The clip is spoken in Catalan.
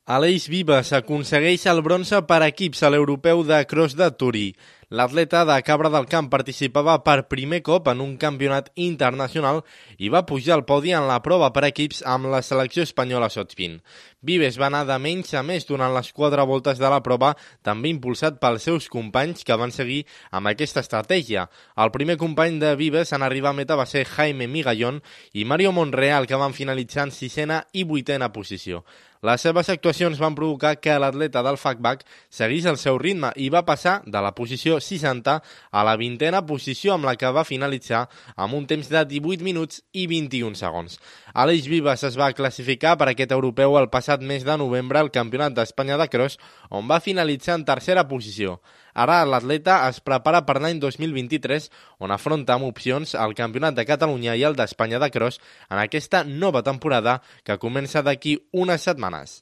Aleix Vives aconsegueix el bronze per equips a l'europeu de cross de Turí. L'atleta de Cabra del Camp participava per primer cop en un campionat internacional i va pujar al podi en la prova per equips amb la selecció espanyola sotspin. Vives va anar de menys a més durant les 4 voltes de la prova, també impulsat pels seus companys que van seguir amb aquesta estratègia. El primer company de Vives en arribar a meta va ser Jaime Migallón i Mario Monreal, que van finalitzar en 6a i 8a posició. Les seves actuacions van provocar que l'atleta del FACBAC seguís el seu ritme i va passar de la posició 60 a la 20a posició, amb la que va finalitzar amb un temps de 18 minuts i 21 segons. Aleix Vives es va classificar per aquest europeu el passat mes de novembre al Campionat d'Espanya de Cross, on va finalitzar en tercera posició. Ara l'atleta es prepara per l'any 2023, on afronta amb opcions el Campionat de Catalunya i el d'Espanya de Cross en aquesta nova temporada que comença d'aquí unes setmanes.